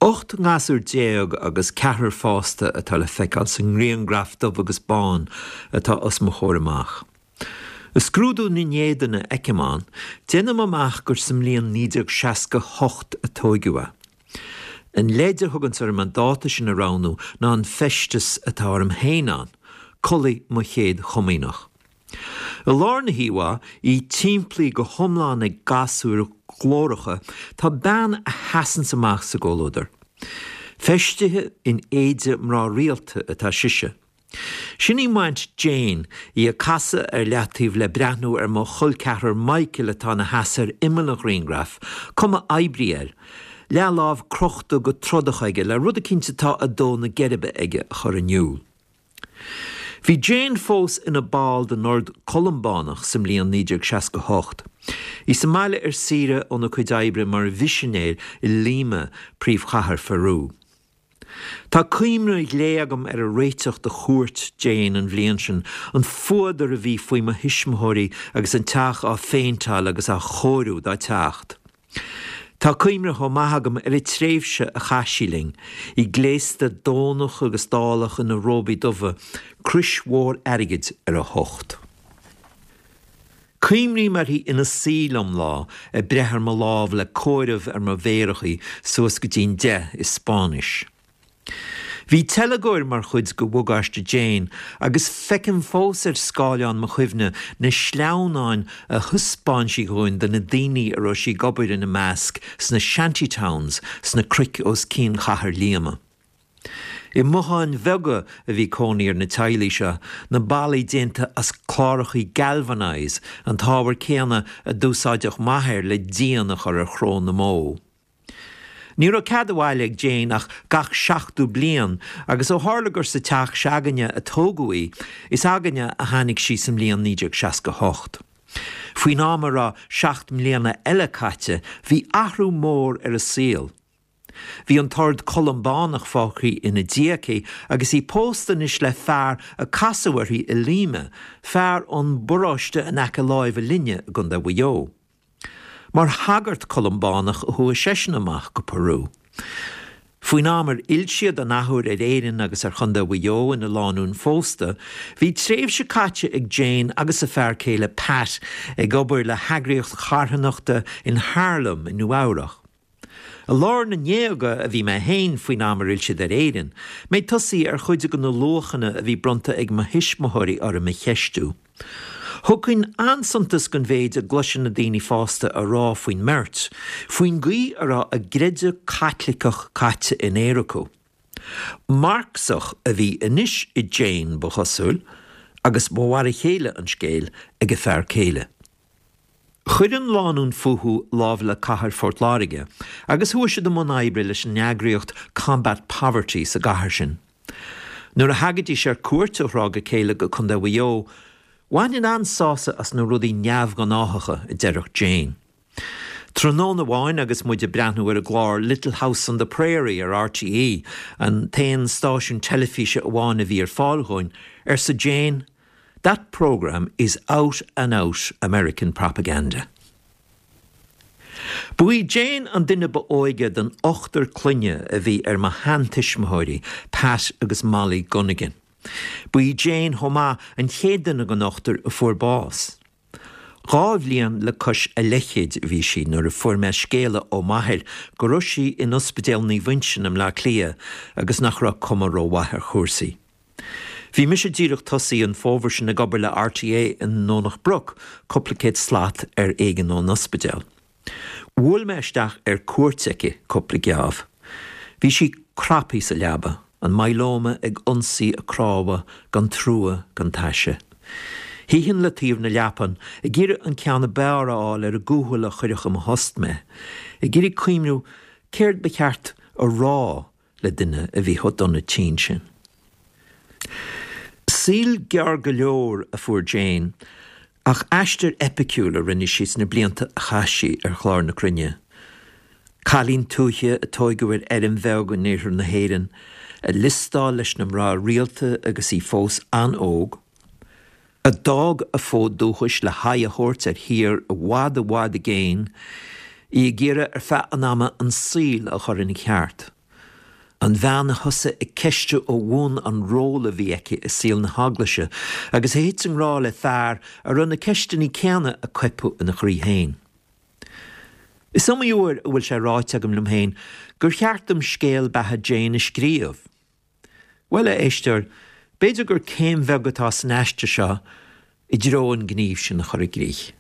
18 ngasúr agus ceathrar fásta atá le feiceáil sa ngrianghraf dubh agus bán atá os mo chomhair amach. Ag scrúdú na n-éadan a fheicim ann, déanaim amach gur sa mbliain 1968 a tóigeadh é. An leid a thuganns orm an dáta sin a roghnú ná an feisteas atá orm féin ann, culaith mo chéad chomaoineach. I lár na híomhá, í timplaithe go hiomlán ag gasúir ghlóracha, tá bean a sheasanns amach sa gcomhluadar. Feistithe in éide mná rialta atá sise. Sin í m'aint Jane, í ag casadh ar leataobh le breathnú ar mo chol ceathrar Michael atá ina sheasamh ar imeall an ghrianghraif, cuma oibrí air, leathlámh crochta go trodach aige le rud eicínt atá ag dó na geirbe aige a chur in iúl. Bhí Jane fós ina ball den Ord Columbánach sa mbliain 1968. Í sa mbaile ar saoire óna cuid oibre mar mhisinéir i Lima, príomhchathair Pheru. Tá cuimhne ghlé agam ar an réiteach do chuairt Jane an bhliain sin, an fuadar a bhí faoi mo thuismitheoirí agus an teach á phéinteáil agus á chóiriú dá teacht. Tá cuimhne chomh maith agam ar an tréimhse a chaith sí linn, í gléasta dónach agus dálach ina róbaí dubha, crois mhór airgid ar a hucht. Cuimhním uirthi ina suí liom lá, ag breith ar mo lámh le comhaireamh ar mo mhéarachaí suas go dtí'n deich i Spáinnis. Bhí teilgeoir mar chuid de bhagáiste Jane agus feicim fós ar scáileán mo chuimhne na sleamhnáin a thaispeáin sí dhúinn de na daoine a raibh sí ag obair ina measc sna shanty towns sna cnoic os cionn chathair Líoma. I mbotháin bheaga a bhí cónaí ar na teaghlaigh seo, na ballaí déanta as clárachaí galvanise, an t-ábhar céanna a d'úsáideadh m'athair le díon a chur ar chró na mbó. Ní raibh cead abhaile ag Jane ach gach seachtú bliain agus ó tharla gur sa teach se'againne a tógadh í, is againne a tháinig sí sa mbliain 1968. Faoin am a raibh seacht mbliana eile caite bhí athrú mór ar a saol. Bhí an tOrd Columbánach fágtha ina diaidh aici agus í pósta anois le fear a casadh uirthi i Lima, fear ón bparóiste in aice láimhe linne i gContae Mhaigh Eo. Mar shagart Columbánach a chuaigh seisean amach go Peru. Faoin am ar fhill siad an athuair ar Éirinn agus ar Chontae Mhaigh Eo ina lánúin phósta, bhí tréimhse caite ag Jane agus a fear céile Pat ag obair le heagraíocht charthanachta in Harlem i Nua Eabhrach. I lár na ndéaga a bhí mé féin faoin am ar fhill siad ar Éirinn, mé ag tosaí ar chuid de na luachanna a bhí bronnta ag mo thuismitheoirí orm a cheistiú. Thugfainn an-suntas don mhéid a gcloisfinn na daoine fásta a rá faoin mbeirt, faoin gcaoi a raibh a gcreideamh Caitliceach caite in aer acu. Marxach a bhí anois i Jane, ba chosúil, agus ba mhar a chéile an scéal ag a fear céile. Chuir an lánúin fúthu lámh le cathair Phort Láirge agus chuaigh siad i mbun oibre leis an eagraíocht Combat Poverty sa gcathair sin. Nuair a thagaidís ar cuairt ó thráth go chéile go Contae Mhaigh Eo, bhaininn an-sásamh as na rudaí neamhghnáthacha a deireadh Jane. Tráthnóna amháin agus muid ag breathnú ar an gclár Little House on the Prairie ar RTÉ, an t-aon stáisiún teilifíse amháin a bhí ar fáil dhúinn, arsa Jane, That programme is out and out American propaganda. Ba í Jane an duine ba óige den ochtar clainne a bhí ar mo sheantuismitheoirí, Pat agus Molly Gunnigan. Ba í Jane chomh maith an chéad duine den ochtar a fuair bás. Dhá bhliain le cois a leithchéid a bhí sí nuair a fuair mé scéala ó m'athair go raibh sí in Ospidéal Naomh Uinseann i mBleá Cliath agus nach raibh cuma rómhaith ar chúrsaí. Bhí mise díreach tosaithe an fómhar sin ag obair le RTÉ i nDomhnach Broc, cúpla céad slat ar éigean ón ospidéal. Bhuail mé isteach ar cuairt aici cúpla geábh. Bhí sí craptha sa leaba, an myeloma ag ionsaí a cnámha gan trua gan taise. Shuífinn le taobh na leapan, ag iarraidh an ceann ab fhearr a fháil ar an gcúthail a chuirfeadh i mo thost mé, ag iarraidh cuimhniú céard ba cheart a rá le duine a bhí chomh dona tinn sin. Saol gearr go leor a fuair Jane, ach aistear eipiciúil a rinne sí sna blianta a chaith sí ar chlár na cruinne. Cailín tuaithe a tóigeadh ar fheirm bheag in iarthar na hÉireann, a liostáil leis na mná rialta agus í fós an-óg, a d'fhág a fód dúchais le haghaidh a thabhairt ar thír i bhfad i bhfad i gcéin, í ag iarraidh ar feadh an ama an saol a chur ina cheart. An bhean a thosaigh ag ceistiú ó bhun an ról a bhí aici i saol na hEaglaise agus a thit i ngrá le fear a raibh na ceisteanna céanna ag coipeadh ina chroí féin. Is iomaí uair a bhfuil sé ráite agam liom féin gur cheart dom scéal beatha Jane a scríobh. Bhuel, a éisteoir, b'fhéidir gur céim bheag atá san aiste seo i dtreo an gníomh sin a chur i gcrích.